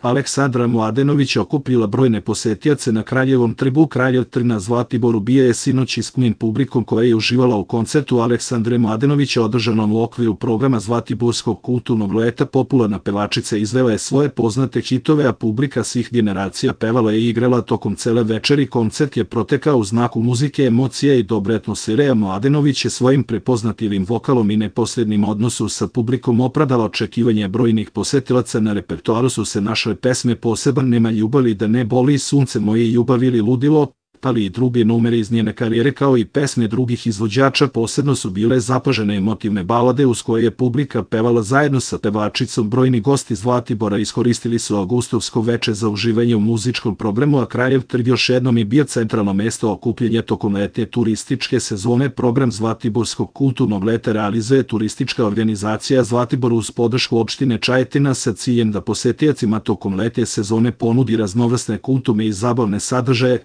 Aleksandra Mladenovića okupila brojne posetioce na Kraljevom trgu. Kraljev trg na Zlatiboru bio je sinoć ispunjen publikom koja je uživala u koncertu Aleksandre Mladenovića održanom u okviru programa Zlatiborskog kulturnog leta. Popularna pevačica izvela je svoje poznate hitove, a publika svih generacija pevala je i igrala tokom cele večeri. Koncert je protekao u znaku muzike, emocija i dobre atmosfere, a Mladenović je svojim prepoznatljivim vokalom i neposrednim odnosom sa publikom opravdala očekivanje brojnih posetilaca. Na repertoaru su se našle pesme Poseban, Nema ljubavi, Da ne boli, Sunce moje, Ljubav ili Ludilo, ali i druge numere iz njene karijere, kao i pesme drugih izvođača. Posebno su bile zapažene emotivne balade uz koje je publika pevala zajedno sa pevačicom. Brojni gosti Zlatibora iskoristili su avgustovsko veče za uživanje u muzičkom programu, a Kraljev trg još jednom je bio centralno mesto okupljenja tokom letnje turističke sezone. Program Zlatiborskog kulturnog leta realizuje turistička organizacija Zlatibor uz podršku opštine Čajetina sa ciljem da posetiocima tokom letnje sezone ponudi raznovrsne kulturne i zabavne sadržaje.